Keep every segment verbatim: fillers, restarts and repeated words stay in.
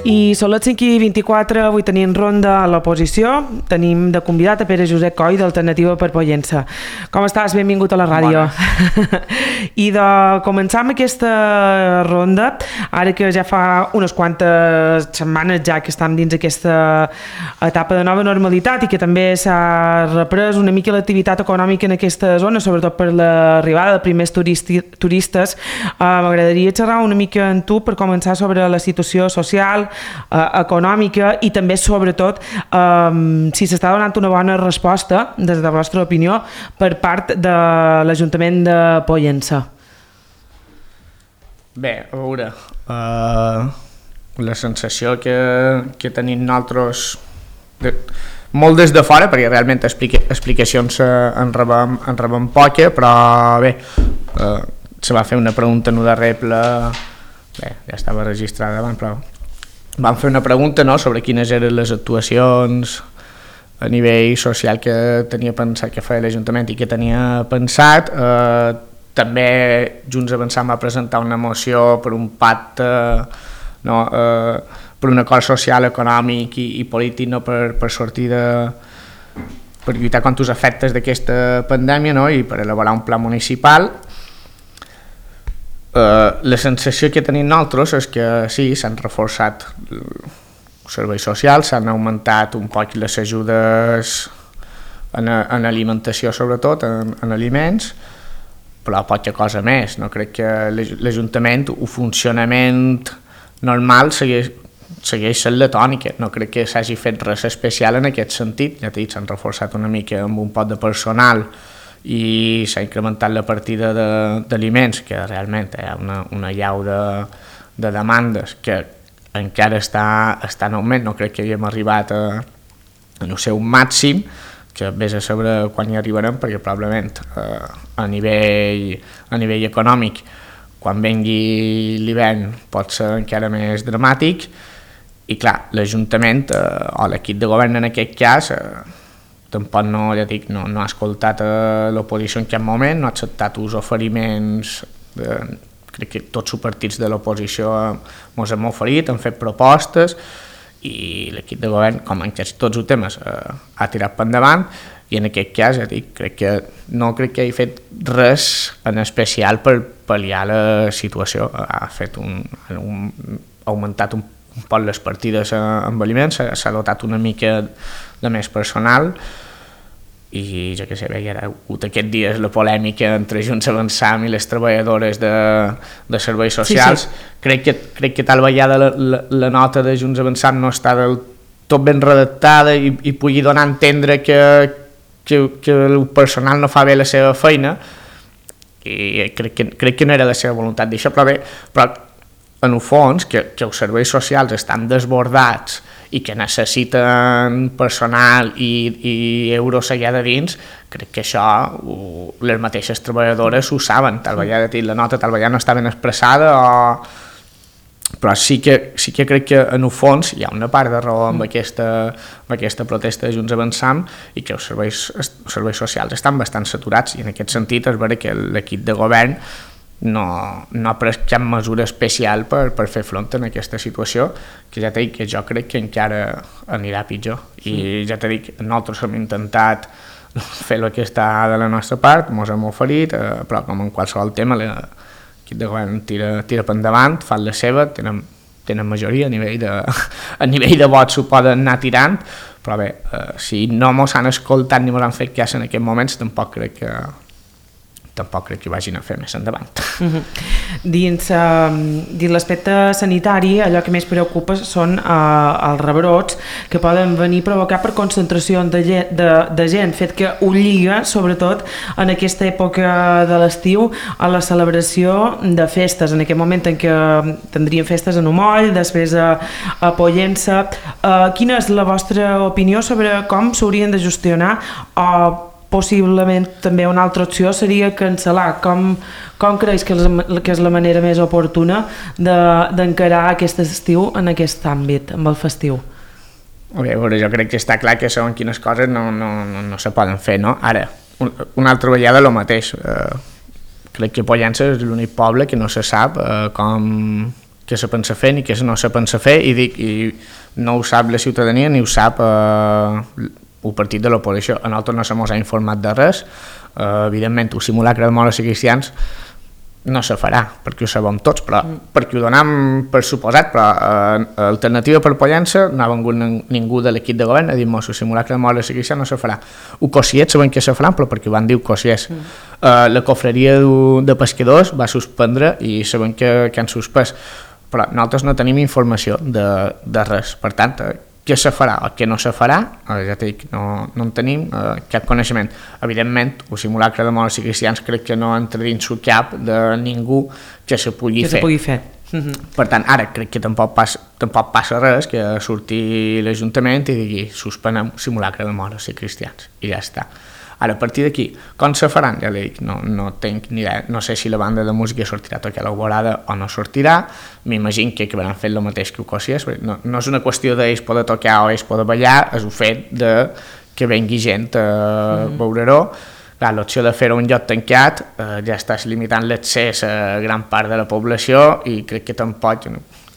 I són les cinc i vint-i-quatre, avui tenim ronda a l'oposició. Tenim de convidat a Pere Josep Coll, d'Alternativa per Pollença. Com estàs? Benvingut a la ràdio. I de començar amb aquesta ronda, ara que ja fa unes quantes setmanes ja que estem dins aquesta etapa de nova normalitat i que també s'ha reprès una mica l'activitat econòmica en aquesta zona, sobretot per l'arribada de primers turisti, turistes, eh, m'agradaria xerrar una mica amb tu per començar sobre la situació social, Eh, econòmica i també sobretot eh, si s'està donant una bona resposta des de la vostra opinió per part de l'Ajuntament de Pollença. Bé, a veure, uh, la sensació que, que tenim nosaltres de, molt des de fora, perquè realment explica, explicacions uh, en, rebem, en rebem poca, però bé, uh, se va fer una pregunta no de reble, bé, ja estava registrada abans, però vam fer una pregunta, no?, sobre quines eren les actuacions a nivell social que tenia pensat que feia l'Ajuntament i que tenia pensat. Eh, també Junts Avançant va presentar una moció per un pacte, no?, eh, per un acord social, econòmic i, i polític, no?, per, per sortir de... per lluitar contra els efectes d'aquesta pandèmia, no?, i per elaborar un pla municipal. Uh, la sensació que tenim nosaltres és que sí, s'han reforçat els serveis socials, s'han augmentat un poc les ajudes en, en alimentació, sobretot en, en aliments, però poca cosa més. No crec que l'Ajuntament, un funcionament normal segueix, segueix sent la tònica, no crec que s'hagi fet res especial en aquest sentit. Ja t'he dit, s'han reforçat una mica amb un pot de personal i s'ha incrementat la partida d'aliments, que realment hi ha una, una llau de, de demandes que encara està, està en augment. No crec que havíem arribat a, a no sé, un màxim, que vés a saber quan hi arribarem, perquè probablement eh, a, nivell, a nivell econòmic, quan vengui l'hivern pot ser encara més dramàtic. I clar, l'Ajuntament eh, o l'equip de govern en aquest cas eh, tampoc no, ja dic, no, no ha escoltat l'oposició en cap moment, no ha acceptat els oferiments, de, crec que tots els partits de l'oposició ens hem oferit, han fet propostes i l'equip de govern, com en quasi tots els temes, eh, ha tirat per endavant i en aquest cas, ja dic, crec que no crec que hagi fet res en especial per pal·liar la situació. Ha fet un, un ha augmentat un, un poc les partides amb aliments, s'ha dotat una mica de més personal i jo què sé, bé, hi ha hagut aquests dies la polèmica entre Junts Avançant i les treballadores de, de serveis socials. Sí, sí. Crec que, crec que tal vegada la, la, la nota de Junts Avançant no està del tot ben redactada i, i pugui donar a entendre que, que, que el personal no fa bé la seva feina i crec que, crec que no era la seva voluntat d'això, però bé, però en el fons que, que els serveis socials estan desbordats i que necessiten personal i, i euros allà de dins, crec que això ho, les mateixes treballadores ho saben, tal vegada la nota tal vegada no està ben expressada, o... però sí que, sí que crec que en el fons hi ha una part de raó amb aquesta, amb aquesta protesta de Junts Avançant i que els serveis, els serveis socials estan bastant saturats i en aquest sentit és vera que l'equip de govern no, no ha pres cap mesura especial per, per fer front en aquesta situació, que ja t'he dit que jo crec que encara anirà pitjor. I sí. Ja t'he dit que nosaltres hem intentat fer el que està de la nostra part, ens hem oferit, eh, però com en qualsevol tema l'equip de govern tira, tira per endavant, fan la seva, tenen, tenen majoria a nivell de, a nivell de vots ho poden anar tirant, però bé, eh, si no ens han escoltat ni ens han fet cas en aquests moments, tampoc crec que tampoc crec que ho vagin a fer més endavant. Uh-huh. Dins, uh, dins l'aspecte sanitari, allò que més preocupa són uh, els rebrots que poden venir provocar per concentració de, de, de gent, fet que ho lliga, sobretot en aquesta època de l'estiu, a la celebració de festes, en aquest moment en què tindríem festes en Omoll, després a, a Pollença. Uh, quina és la vostra opinió sobre com s'haurien de gestionar o uh, possiblement també una altra opció seria cancel·lar? Com, com creus que és, que és la manera més oportuna d'encarar de, aquest estiu en aquest àmbit, amb el festiu? Bé, veure, jo crec que està clar que segons quines coses no, no, no, no se poden fer, no? Ara, un, una altra vegada el mateix. Eh, crec que Pollença és l'únic poble que no se sap eh, com què se pensa fer ni què no se pensa fer, i dic, i no ho sap la ciutadania ni ho sap eh, el partit de l'oposició. A nosaltres no se mos ha informat de res, eh, evidentment el simulacre de moros i cristians no se farà, perquè ho sabem tots, però mm. perquè ho donem per suposat, però eh, Alternativa per Pollença no ha vengut ningú de l'equip de govern a dir-nos el simulacre de moros i cristians no se farà. Ho Cosiet sabem que se faran, però perquè ho van dir Cosiet. Mm. Eh, la cofreria de pescadors va suspendre i sabem que, que han suspès, però nosaltres no tenim informació de, de res. Per tant, eh, què se farà o què no se farà, eh, ja t'he dit, no, no en tenim eh, cap coneixement. Evidentment, el simulacre de moros i cristians crec que no entra dins el cap de ningú que se pugui que fer. Se pugui fer. Uh-huh. Per tant, ara crec que tampoc passa, tampoc passa res que surti l'Ajuntament i digui suspenem simulacre de moros i cristians, i ja està. Ara, a partir d'aquí, com se faran? Ja li dic, no, no tinc ni idea. No sé si la banda de música sortirà a tocar l'Alborada o no sortirà. M'imagino que acabaran fent el mateix que ho Cosies. No, no és una qüestió d'ells poder tocar o ells poder ballar, és el fet de que vengui gent a mm-hmm. veure-ho. Clar, l'opció de fer-ho un lloc tancat eh, ja estàs limitant l'accés a gran part de la població i crec que tampoc...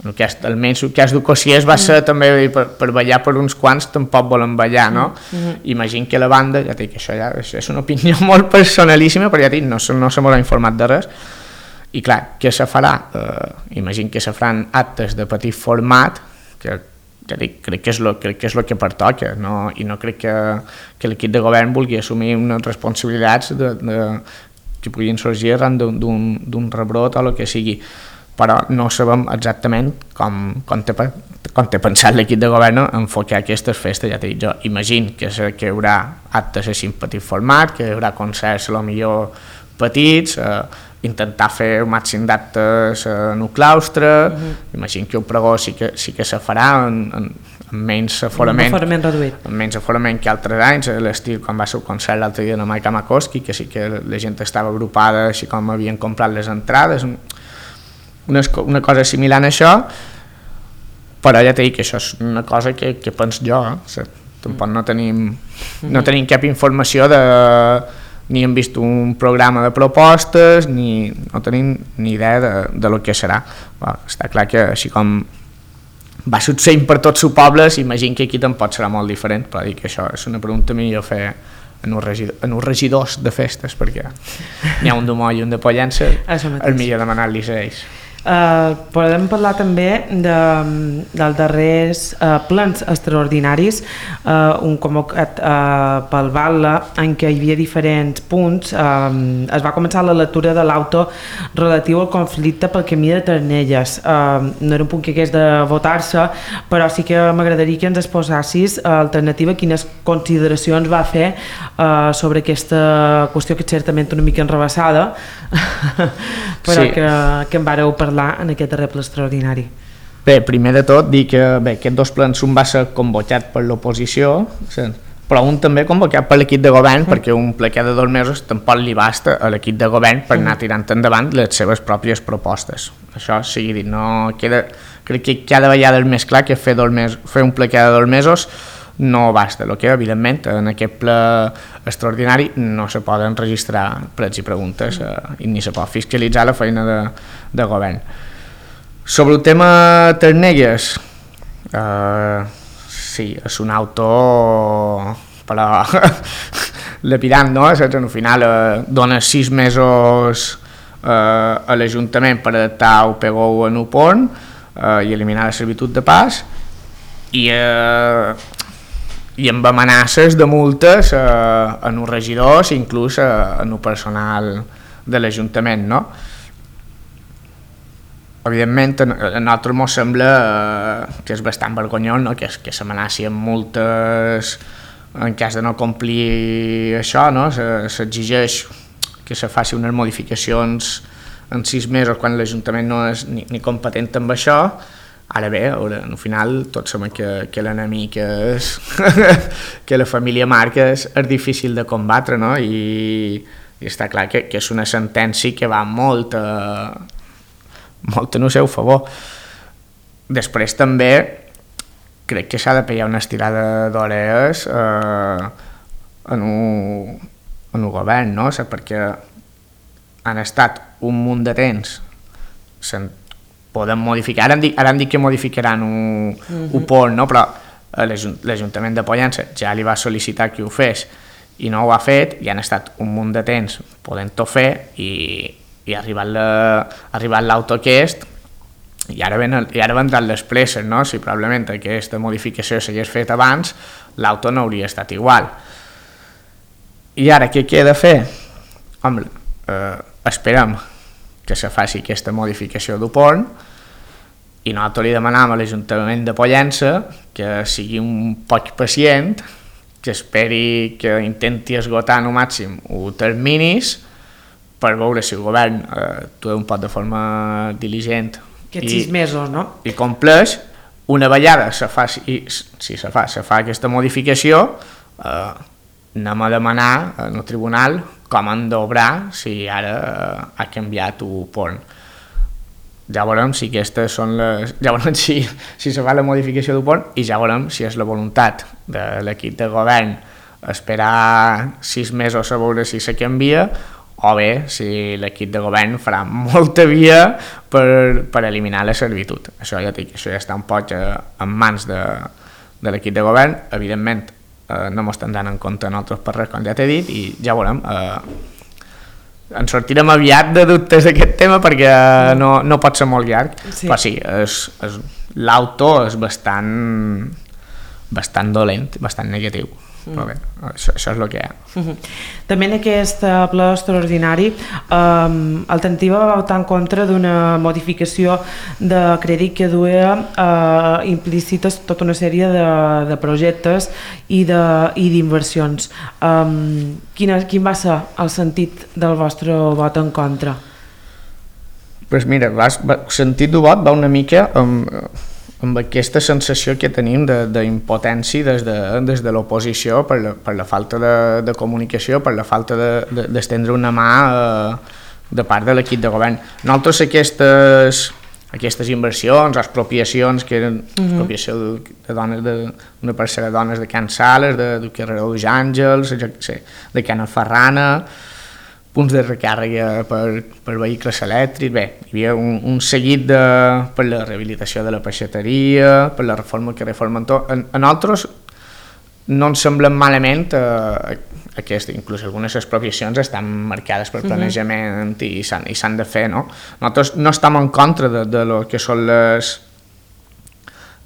No, el cas, almenys el cas d'Ocosies va ser mm. també per, per ballar per uns quants tampoc volen ballar, no? Mm. Imagino que la banda, ja dic, això ja és, és una opinió molt personalíssima, però ja dic, no, no se m'ha informat de res, i clar, què se farà? Eh, imagino que se faran actes de petit format, que ja dic, crec que és lo, crec que és lo que pertoca, no? I no crec que, que l'equip de govern vulgui assumir unes responsabilitats de, de, que puguin sorgir arran d'un rebrot o el que sigui, però no sabem exactament com, com, té, com té pensat l'equip de govern enfocar aquestes festes. Ja t'he dit, jo imagino que, que hi haurà actes així en petit format, que hi haurà concerts a lo millor petits, eh, intentar fer el màxim d'actes en el claustre, uh-huh. Imagino que el pregó sí que, sí que se farà en, en, en menys aforament, un aforament reduït. En menys aforament que altres anys, a l'estil quan va ser el concert l'altre dia de Maica Makoski, que sí que la gent estava agrupada així com havien comprat les entrades, Una, una cosa similar a això, però ja t'he dit que això és una cosa que, que penso jo, eh? O sigui, tampoc no tenim, no tenim cap informació de, ni hem vist un programa de propostes, ni no tenim ni idea de, de lo que serà. Bueno, està clar que així com va succeint per tots els pobles, imagino que aquí tampoc serà molt diferent, però dic que això és una pregunta millor fer en els regidor, regidors de festes, perquè n'hi ha un de Moll i un de Pollença, és millor demanar-los a ells. Uh, podem parlar també de, dels darrers uh, plans extraordinaris, uh, un convocat uh, pel Batlle en què hi havia diferents punts. Uh, es va començar la lectura de l'auto relatiu al conflicte pel camí de Ternelles. Uh, no era un punt que hagués de votar-se, però sí que m'agradaria que ens exposassis uh, Alternativa quines consideracions va fer uh, sobre aquesta qüestió, que és certament una mica enrevessada, però sí. que, que en vareu parlar en aquest darrer ple extraordinari. Bé, primer de tot dir que bé, aquests dos plens un va ser convocat per l'oposició, però un també convocat per l'equip de govern, mm. perquè un ple cada dos mesos tampoc li basta a l'equip de govern per anar tirant endavant les seves pròpies propostes. Això sigui dit, no queda, crec que cada vegada és més clar que fer, dos mesos, fer un ple cada dos mesos no basta. El que evidentment en aquest ple extraordinari no se poden registrar prets i preguntes eh, i ni se pot fiscalitzar la feina de, de govern. Sobre el tema Ternelles, eh, sí, és un auto però lapidant, no? Al final eh, dona sis mesos eh, a l'Ajuntament per adaptar el P G U en Upon eh, i eliminar la servitud de pas, i eh, i amb amenaces de multes eh, en els regidors i inclús eh, en el personal de l'Ajuntament, no? Evidentment a nosaltres ens sembla eh, que és bastant vergonyós, no? que, que s'amenaci amb multes en cas de no complir això, no? S'exigeix que se faci unes modificacions en sis mesos quan l'Ajuntament no és ni, ni competent amb això. Ara bé, al final tots sabem que, que l'enemic és que la família Marc és, és difícil de combatre, no? I, i està clar que, que és una sentència que va molt a, molt en el seu favor. Després també crec que s'ha de pegar una estirada d'orelles eh, en, un, en el govern, no? O sigui, perquè han estat un munt de temps sent poden modificar, ara han dit, ara han dit que modificaran un, uh-huh. un pont, no? Però l'Ajuntament de Pollença ja li va sol·licitar que ho fes i no ho ha fet, i han estat un munt de temps podent-ho fer, i, i ha arribat l'auto aquest, i ara, ven, i ara vendran les presses, no? Si probablement aquesta modificació s'hagués fet abans, l'auto no hauria estat igual. I ara què queda fer? Home, eh, esperem que se faci aquesta modificació del pont, i nosaltres li demanam a l'Ajuntament de Pollença que sigui un poc pacient, que esperi, que intenti esgotar al màxim els terminis per veure si el govern eh, actua un poc de forma diligent aquests sis mesos, no? I compleix. Una vegada se fa, si, si se fa, se fa aquesta modificació, eh, anem a demanar en el tribunal com han d'obrar si ara eh, ha canviat el pont. Ja veurem si aquestes són les... Ja veurem si, si se fa la modificació del pont, i ja veurem si és la voluntat de l'equip de govern esperar sis mesos a veure si se canvia, o bé si l'equip de govern farà molta via per, per eliminar la servitud. Això ja, dic, això ja està un poc eh, en mans de, de l'equip de govern. Evidentment eh, no m'ho estan dant en compte nosaltres per res, com ja t'he dit, i ja veurem. Eh, ens sortirem aviat de dubtes d'aquest tema perquè no, no pot ser molt llarg, sí. Però sí, és, és, l'auto és bastant, bastant dolent, bastant negatiu. Però bé, això, això és el que hi ha. Uh-huh. També en aquest ple extraordinari um, Alternativa va votar en contra d'una modificació de crèdit que duia uh, implícites tota una sèrie de, de projectes i d'inversions. Um, quin, quin va ser el sentit del vostre vot en contra? Pues mira, va, va, el sentit del vot va una mica amb... amb aquesta sensació que tenim d'impotència des de, des de l'oposició per, la, per la falta de, de comunicació, per la falta d'estendre de, de, una mà eh, de part de l'equip de govern. Nosaltres aquestes, aquestes inversions, expropiacions, que eren uh-huh. expropiació de, de dones, d'una parcel·la de dones de Can Sales, de, de carrer dels Àngels, de Can Ferrana, punts de recàrrega per, per vehicles elèctrics, bé, hi havia un, un seguit de, per la rehabilitació de la peixateria, per la reforma que reformen tot. A, a nosaltres no ens semblen malament eh, aquesta, inclús algunes expropiacions estan marcades per planejament uh-huh. i s'han de fer, no? Nosaltres no estem en contra de, de lo que són les,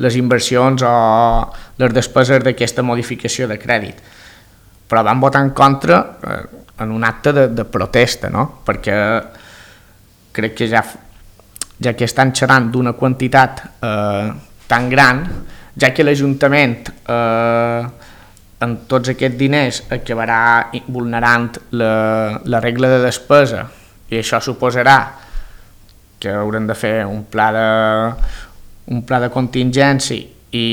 les inversions o les despeses d'aquesta modificació de crèdit, però vam votar en contra eh, en un acte de, de protesta, no? Perquè crec que ja, ja que estan xerrant d'una quantitat eh, tan gran, ja que l'Ajuntament eh, amb tots aquests diners acabarà vulnerant la, la regla de despesa, i això suposarà que haurem de fer un pla de, un pla de contingència i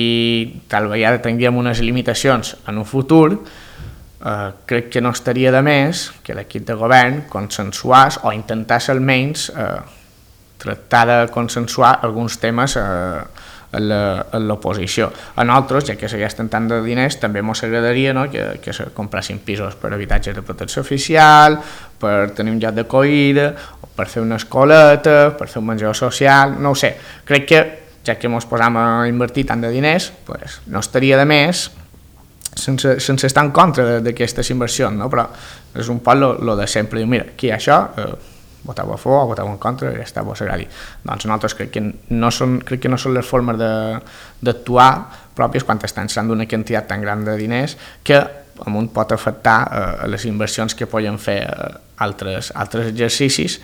tal vegada tinguem unes limitacions en un futur. Uh, crec que no estaria de més que l'equip de govern consensuàs o intentàs almenys uh, tractar de consensuar alguns temes uh, a l'oposició. A nosaltres, ja que se gasten tant de diners, també ens agradaria, no, que, que se comprassin pisos per habitatges de protecció oficial, per tenir un lloc d'acollida, per fer una escoleta, per fer un menjador social, no ho sé. Crec que, ja que ens posam a invertir tant de diners, pues, no estaria de més sense, sense estar en contra d'aquestes inversions, no? Però és un poc lo de sempre, diu, mira, aquí hi ha això, eh, voteu a favor o voteu en contra, i ja està, vos agradi. Doncs nosaltres crec que no són, crec que no són les formes d'actuar pròpies quan estan sent d'una quantitat tan gran de diners que amunt pot afectar eh, les inversions que poden fer eh, altres, altres exercicis,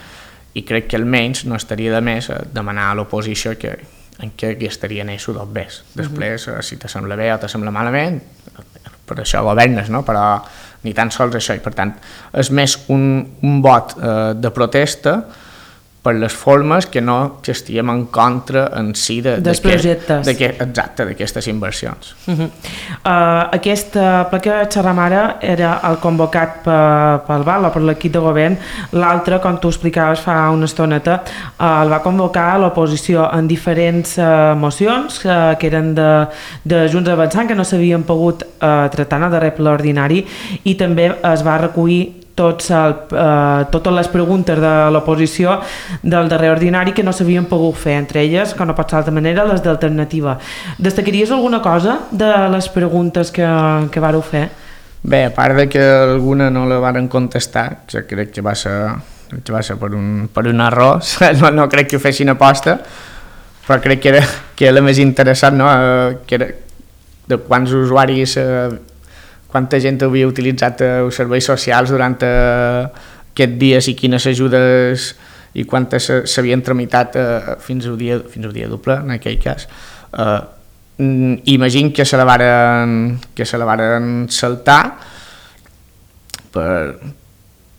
i crec que almenys no estaria de més eh, demanar a l'oposició que en què estaria en això dos bés. Després, uh-huh. si te sembla bé o te sembla malament, per això governes, no? Però ni tan sols això, i per tant és més un, un vot eh, de protesta per les formes que no que estiguem en contra en si de, dels de projectes. De que, exacte, d'aquestes inversions. Uh-huh. uh, aquest uh, ple que xerram ara era el convocat per, pel V A L o per l'equip de govern. L'altre, com tu explicaves fa una estoneta, uh, el va convocar l'oposició en diferents uh, mocions uh, que eren de, de Junts Avançant, que no s'havien pogut uh, tractar en el darrer ple ordinari, i també es va recollir tots el, eh, totes les preguntes de l'oposició del darrer ordinari que no s'havien pogut fer, entre elles, que no pot ser d'altra manera, les d'alternativa. Destacaries alguna cosa de les preguntes que, que vareu fer? Bé, a part de que alguna no la varen contestar, que crec que va ser, que va ser per, un, per un error, no, no crec que ho fessin aposta, però crec que era, que era la més interessant, no? Que era de quants usuaris, eh, quanta gent havia utilitzat eh, els serveis socials durant eh, aquests dies i quines ajudes i quantes s'havien tramitat eh, fins al dia, fins al dia doble, en aquell cas. Eh, imagino que se la varen, que se la varen saltar per,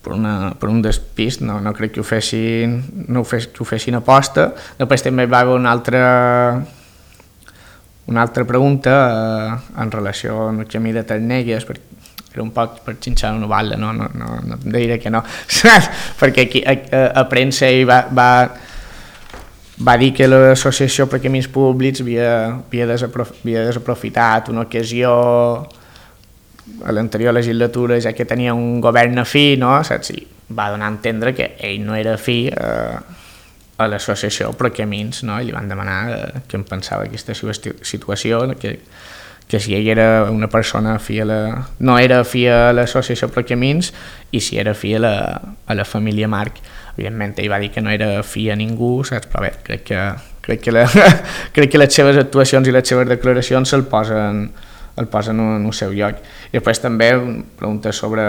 per, una, per un despist, no, no crec que ho fessin, no ho fes, que ho fessin aposta. Després també va haver una altra, una altra pregunta eh, en relació amb el camí de Ternegues, perquè era un poc per xinxar una balla, no, no, no, no em diré que no, perquè aquí a, a, a premsa hi va, va, va dir que l'associació per camins públics havia, havia, desaprof, havia desaprofitat una ocasió a l'anterior legislatura, ja que tenia un govern afí, no? Saps? I va donar a entendre que ell no era afí eh, a l'associació per camins, no? I li van demanar eh, què en pensava d'aquesta situació, que, que si ell era una persona afí a la, no era afí a l'associació per camins i si era afí a la, a la família Marc. Evidentment ell va dir que no era afí a ningú, saps? Però bé, crec que, crec que, la, crec que les seves actuacions i les seves declaracions se'l posen, el posen en el seu lloc. I després també preguntes sobre,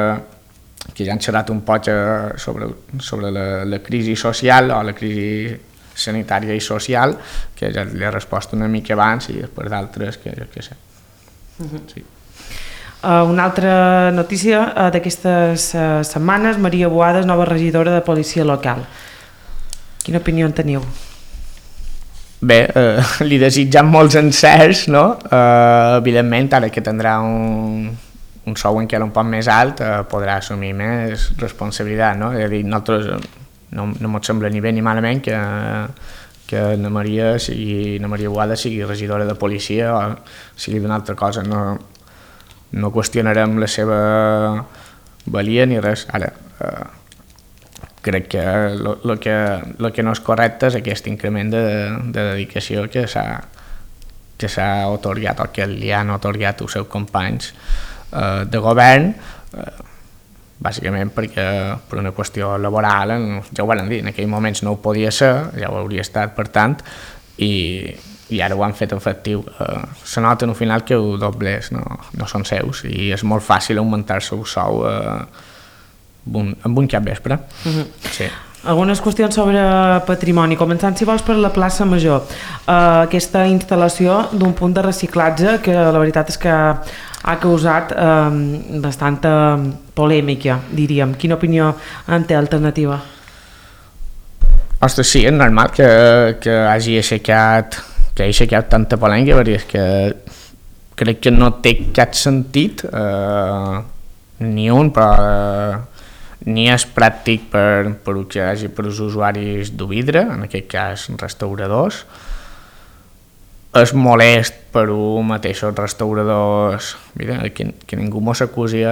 que ja han xerrat un poc sobre, sobre la, la crisi social o la crisi sanitària i social, que ja li he respost una mica abans i després d'altres que jo què sé. Uh-huh. Sí. Uh, una altra notícia uh, d'aquestes uh, setmanes, Maria Boada, nova regidora de policia local. Quina opinió en teniu? Bé, eh, li desitjam molts encerts, no? Eh, evidentment, ara que tindrà un, un sou encara un poc més alt, eh, podrà assumir més responsabilitat, no? És a dir, nosaltres no, no ens sembla ni bé ni malament que, que na Maria sigui, na Maria Boada sigui regidora de policia o sigui d'una altra cosa, no, no qüestionarem la seva valia ni res. Ara, eh, crec que el que, lo que no és correcte és aquest increment de, de dedicació que s'ha que s'ha otorgat o que li han otorgat els seus companys eh, de govern, eh, bàsicament perquè per una qüestió laboral, ja ho van dir, en aquells moments no ho podia ser, ja ho hauria estat per tant, i, i ara ho han fet efectiu. Eh, se nota al final que els doblers no, no són seus i és molt fàcil augmentar-se el sou eh, Un, amb un cap vespre. Uh-huh. Sí. Algunes qüestions sobre patrimoni, començant si vols per la plaça Major. Uh, aquesta instal·lació d'un punt de reciclatge que la veritat és que ha causat uh, bastanta polèmica, diríem. Quina opinió en té Alternativa? Ostres, sí, és normal que, que hagi aixecat que hagi aixecat tanta polèmica, perquè és que crec que no té cap sentit, eh, ni un, però eh, ni és pràctic per, per que hi hagi per als usuaris de vidre, en aquest cas restauradors. És molest per als mateixos restauradors, mira, que, que ningú mos acusi,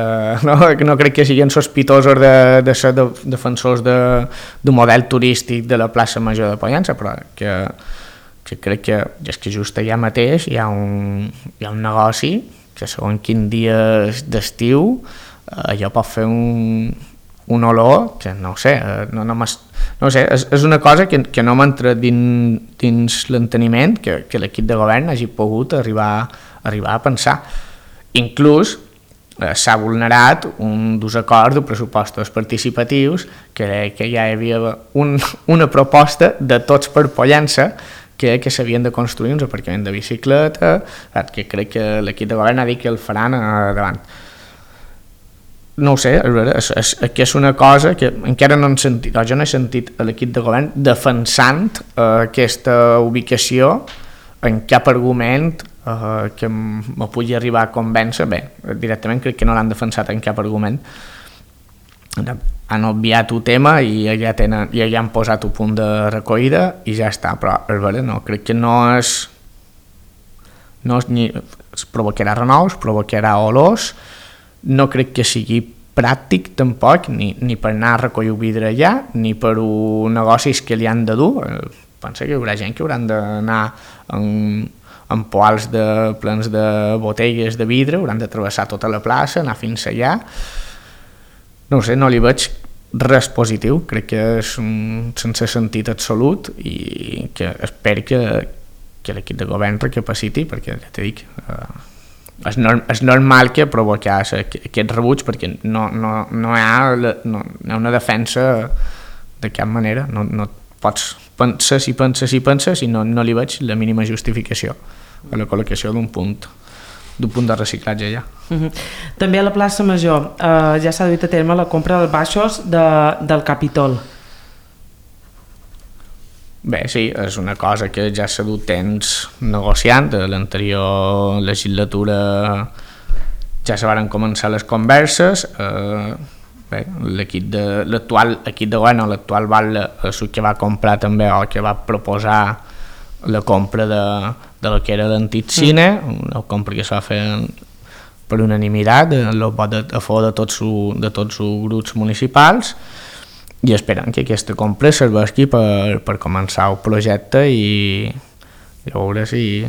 no, que no crec que siguin sospitosos de, de ser de, defensors de, de model turístic de la plaça Major de Pollença, però que, que crec que és que just allà mateix hi ha un, hi ha un negoci que segons quin dia d'estiu allò pot fer un un olor que no ho sé, no, no, no ho sé, és, és una cosa que, que no m'entra dins, dins l'enteniment que, que l'equip de govern hagi pogut arribar, arribar a pensar. Inclús eh, s'ha vulnerat un dels acords de pressupostos participatius que, que ja hi havia un, una proposta de tots per Pollença que, que s'havien de construir uns aparcaments de bicicleta, que crec que l'equip de govern ha dit que el faran davant. No ho sé, és, és, és una cosa que encara no hem sentit, o jo no he sentit a l'equip de govern defensant eh, aquesta ubicació en cap argument eh, que me pugui arribar a convèncer. Bé, directament crec que no l'han defensat en cap argument. Han obviat un tema i ja, tenen, ja han posat un punt de recollida i ja està, però és vera, no, crec que no és, no és ni, es provocarà renous, provocarà olors. No crec que sigui pràctic tampoc, ni, ni per anar a recollir vidre allà, ni per un negocis que li han de dur. Pensa que hi haurà gent que hauran d'anar en, en poals de, plens de botelles de vidre, hauran de travessar tota la plaça, anar fins allà. No ho sé, no li veig res positiu, crec que és un sense sentit absolut i que espero que, que l'equip de govern recapaciti, perquè ja t'he dit, eh, és, norm, és normal que provoqués aquest rebuig, perquè no, no, no, hi ha, no, no hi ha una defensa de cap manera, no, no pots pensar si penses i penses i no, no li veig la mínima justificació a la col·locació d'un punt d'un punt de reciclatge allà. Uh-huh. També a la plaça Major eh, ja s'ha duit a terme la compra dels baixos de, del Capitol. Bé, sí, és una cosa que ja s'ha dut temps negociant. A l'anterior legislatura ja se varen començar les converses. Eh, bé, l'equip de, l'actual equip de govern, l'actual Batlle, és el que va comprar també o que va proposar la compra de, de la que era l'antic cine, una compra que s'ha fet per unanimitat, el vot a favor de tots de tots els grups municipals, i esperem que aquesta compra serveixi per, per començar el projecte i, i a veure si...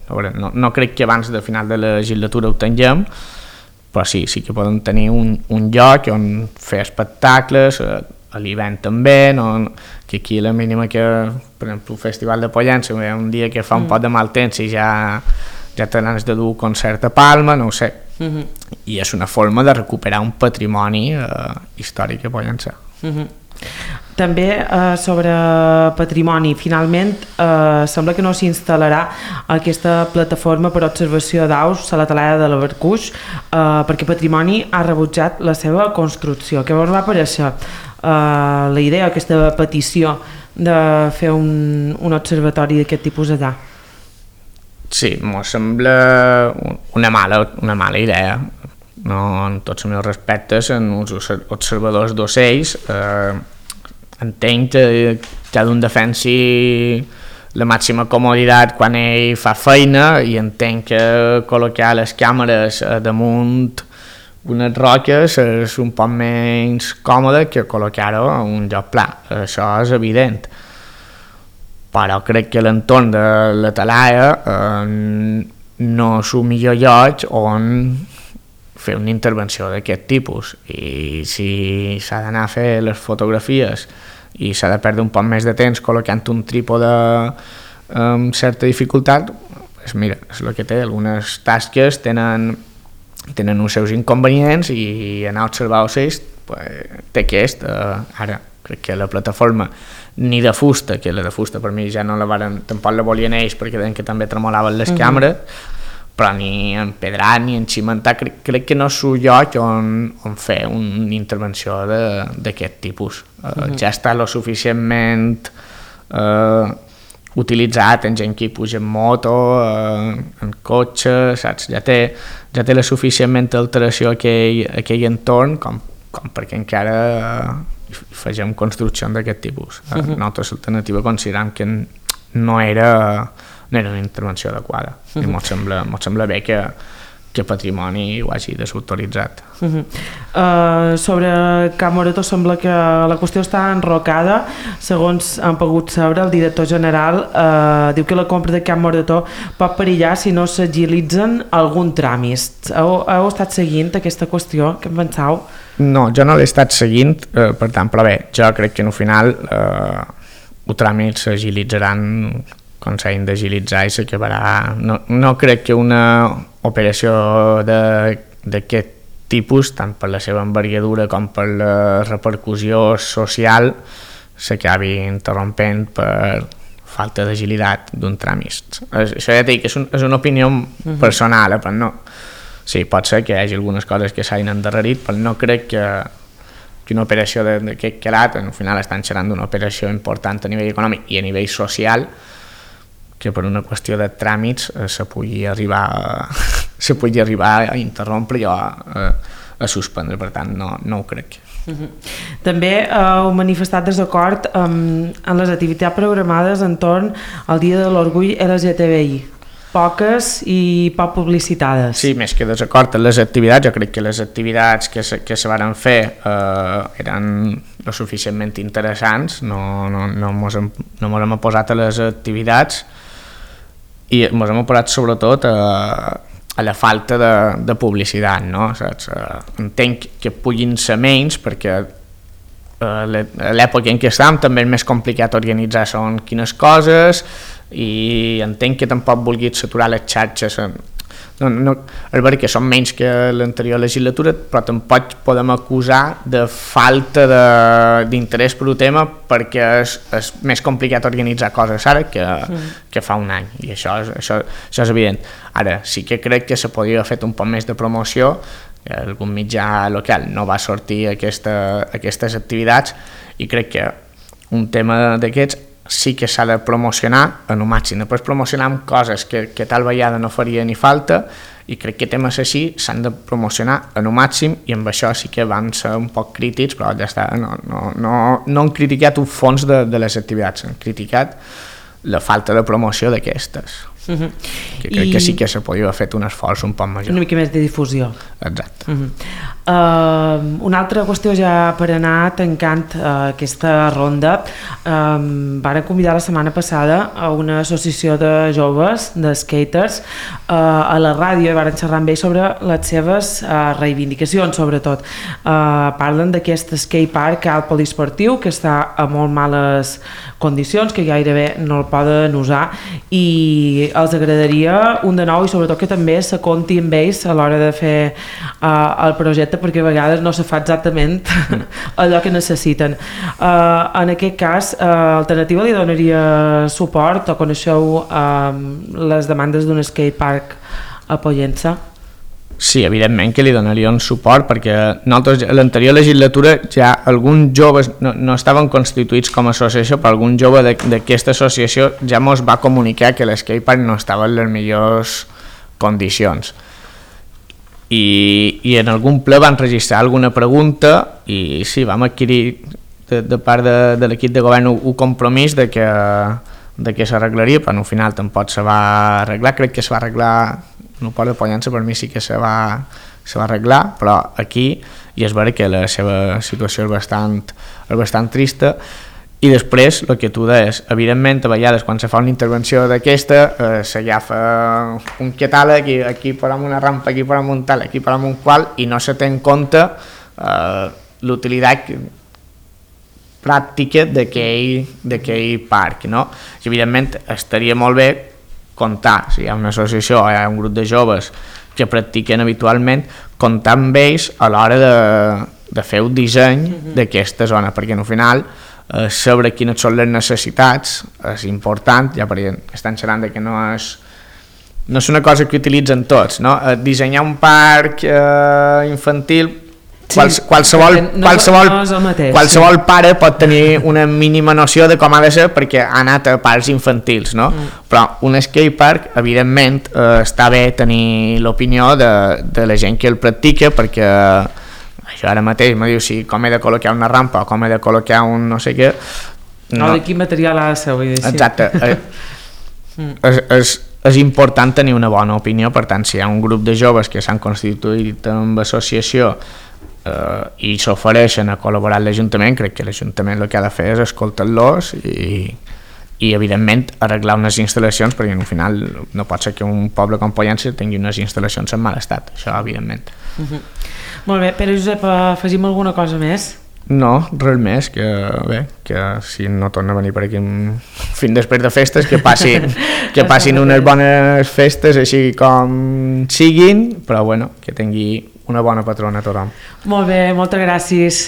A veure, no, no crec que abans de final de la legislatura ho tinguem, però sí, sí que podem tenir un, un lloc on fer espectacles, a l'hivern també, no, que aquí la mínima que, per exemple, el Festival de Pollença, un dia que fa un mm. pot de mal temps i ja, ja tens de dur concert a Palma, no ho sé. Mm-hmm. I és una forma de recuperar un patrimoni eh, històric a Pollença. Mm-hmm. També eh, sobre patrimoni, finalment eh, sembla que no s'instal·larà aquesta plataforma per observació d'aus a la talada de la Barcuix eh, perquè Patrimoni ha rebutjat la seva construcció. Què vos va parèixer Uh, la idea, aquesta petició de fer un, un observatori d'aquest tipus allà? Sí, m'ho sembla una mala, una mala idea. No, en tots els meus respectes, en els observadors d'ocells, eh, entenc que cada un defensi la màxima comoditat quan ell fa feina i entenc que col·locar les càmeres damunt unes roques és un poc menys còmode que col·locar-ho a un lloc pla, això és evident, però crec que l'entorn de la talaia eh, no és el millor lloc on fer una intervenció d'aquest tipus, i si s'ha d'anar a fer les fotografies i s'ha de perdre un poc més de temps col·locant un trípode amb certa dificultat, pues mira, és el que té, algunes tasques tenen tenen uns seus inconvenients i anar a observar ocells pues, té aquest. Uh, ara crec que la plataforma ni de fusta, que la de fusta per mi ja no la varen, tampoc la volien ells perquè deien que també tremolaven les uh-huh. càmeres, però ni empedrat ni encimentar, crec, crec que no és un lloc on, on fer una intervenció d'aquest tipus. Uh, uh-huh. Ja està lo suficientment uh, utilitzat en gent que hi puja en moto, eh, en cotxe, saps? Ja té, ja té la suficientment alteració aquell, aquell entorn com, com perquè encara eh, fegem construcció d'aquest tipus. Uh-huh. Nosaltres l'alternativa considerem que no era, no era una intervenció adequada. Uh-huh. I mos sembla, mos sembla bé que, que Patrimoni ho hagi desautoritzat. Uh-huh. Uh, sobre Can Morató sembla que la qüestió està enrocada. Segons han pogut saber, el director general uh, diu que la compra de Can Morató pot perillar si no s'agilitzen algun tràmit. Heu, heu estat seguint aquesta qüestió? Què en penseu? No, jo no l'he estat seguint, eh, per tant, però bé, jo crec que al final eh, els tràmits s'agilitzaran quan s'hagin d'agilitzar i s'acabarà. No, no crec que una operació d'aquest tipus, tant per la seva envergadura com per la repercussió social, s'acabi interrompent per falta d'agilitat d'un tràmit. Això ja dic, és, un, és una opinió uh-huh. personal, però no. Sí, pot ser que hi hagi algunes coses que s'hagin endarrerit, però no crec que, que una operació d'aquest calat, al final estan xerrant d'una operació important a nivell econòmic i a nivell social, que per una qüestió de tràmits eh, se pugui arribar a, se pugui arribar a interrompre i a, a, a suspendre, per tant no, no ho crec. Uh-huh. També eh, heu manifestat desacord amb, amb les activitats programades entorn al Dia de l'Orgull L G T B I. poques i poc publicitades. Sí, més que desacord en les activitats, jo crec que les activitats que se, que se van fer eh, eren lo suficientment interessants, no, no, no, mos hem, no mos hem posat a les activitats i mos hem posat sobretot a, a la falta de, de publicitat, no? Saps? Entenc que puguin ser menys perquè a l'època en què estem també és més complicat organitzar segons quines coses i entenc que tampoc vulguis saturar les xarxes. No, no, és veritat que són menys que l'anterior legislatura, però tampoc podem acusar de falta d'interès per un tema perquè és, és més complicat organitzar coses ara que, mm. que fa un any, i això és, això, això és evident. Ara, sí que crec que se podria haver fet un poc més de promoció, algun mitjà local no va sortir aquesta, aquestes activitats, i crec que un tema d'aquests sí que s'ha de promocionar en un màxim. Després promocionar amb coses que, que tal vegada no faria ni falta, i crec que temes així s'han de promocionar en un màxim, i amb això sí que van ser un poc crítics, però ja està, no, no, no, no han criticat un fons de, de les activitats, han criticat la falta de promoció d'aquestes. Uh-huh. Que crec I... que sí que se podria haver fet un esforç un poc major. Una mica més de difusió. Exacte. Uh-huh. uh, una altra qüestió ja per anar tancant uh, aquesta ronda. Um, varen convidar la setmana passada a una associació de joves, de skaters, uh, a la ràdio, i varen xerrar amb ells sobre les seves uh, reivindicacions, sobretot. Uh, parlen d'aquest skatepark alt poliesportiu que està a molt males condicions, que gairebé no el poden usar, i els agradaria un de nou, i sobretot que també se compti amb ells a l'hora de fer uh, el projecte, perquè a vegades no se fa exactament allò que necessiten. Uh, en aquest cas, uh, Alternativa li donaria suport, o coneixeu uh, les demandes d'un skatepark a Pollença? Sí, evidentment que li donaríem suport, perquè nosaltres a l'anterior legislatura ja alguns joves no, no estaven constituïts com a associació, però algun jove d'aquesta associació ja ens va comunicar que l'escatepark no estava en les millors condicions. I, i en algun ple van registrar alguna pregunta, i sí, vam adquirir de, de part de, de l'equip de govern un compromís de que, de que s'arreglaria, però al final tampoc se va arreglar. Crec que se va arreglar no port de Pollença, per mi sí que se va, se va arreglar, però aquí ja es veure que la seva situació és bastant, és bastant trista. I després, el que tu deies, evidentment, a vegades quan se fa una intervenció d'aquesta, eh, s'agafa un catàleg, i aquí posem una rampa, aquí posem un tal, aquí posem un qual, i no se té en compte eh, l'utilitat pràctica d'aquell parc, no? I evidentment estaria molt bé comptar, si hi ha una associació o hi ha un grup de joves que practiquen habitualment, comptar amb ells a l'hora de, de fer un disseny uh-huh. d'aquesta zona, perquè al final eh, saber quines són les necessitats és important, ja perquè estan xerrant de que no és, no és una cosa que utilitzen tots, no? Eh, dissenyar un parc eh, infantil, sí, Quals, qualsevol, no, qualsevol, no mateix, qualsevol sí. pare pot tenir una mínima noció de com ha de ser perquè ha anat a parcs infantils, no? Mm. Però un skatepark, evidentment, eh, està bé tenir l'opinió de, de la gent que el practica, perquè això ara mateix me diu si com he de col·locar una rampa o com he de col·locar un no sé què. No, no de quin material ha de ser, vull dir. Exacte. Eh, mm. és, és, és important tenir una bona opinió, per tant, si hi ha un grup de joves que s'han constituït amb associació Uh, i s'ofereixen a col·laborar amb l'Ajuntament, crec que l'Ajuntament el que ha de fer és escoltar-los i, i evidentment arreglar unes instal·lacions, perquè al final no pot ser que un poble com Pollença tingui unes instal·lacions en mal estat, això evidentment. Uh-huh. Molt bé, Pere Josep, afegim alguna cosa més? No, res més, que bé, que si no torna a venir per aquí fins després de festes, que passin, que passin unes bones festes així com siguin, però bueno, que tingui una bona patrona a tothom. Molt bé, moltes gràcies.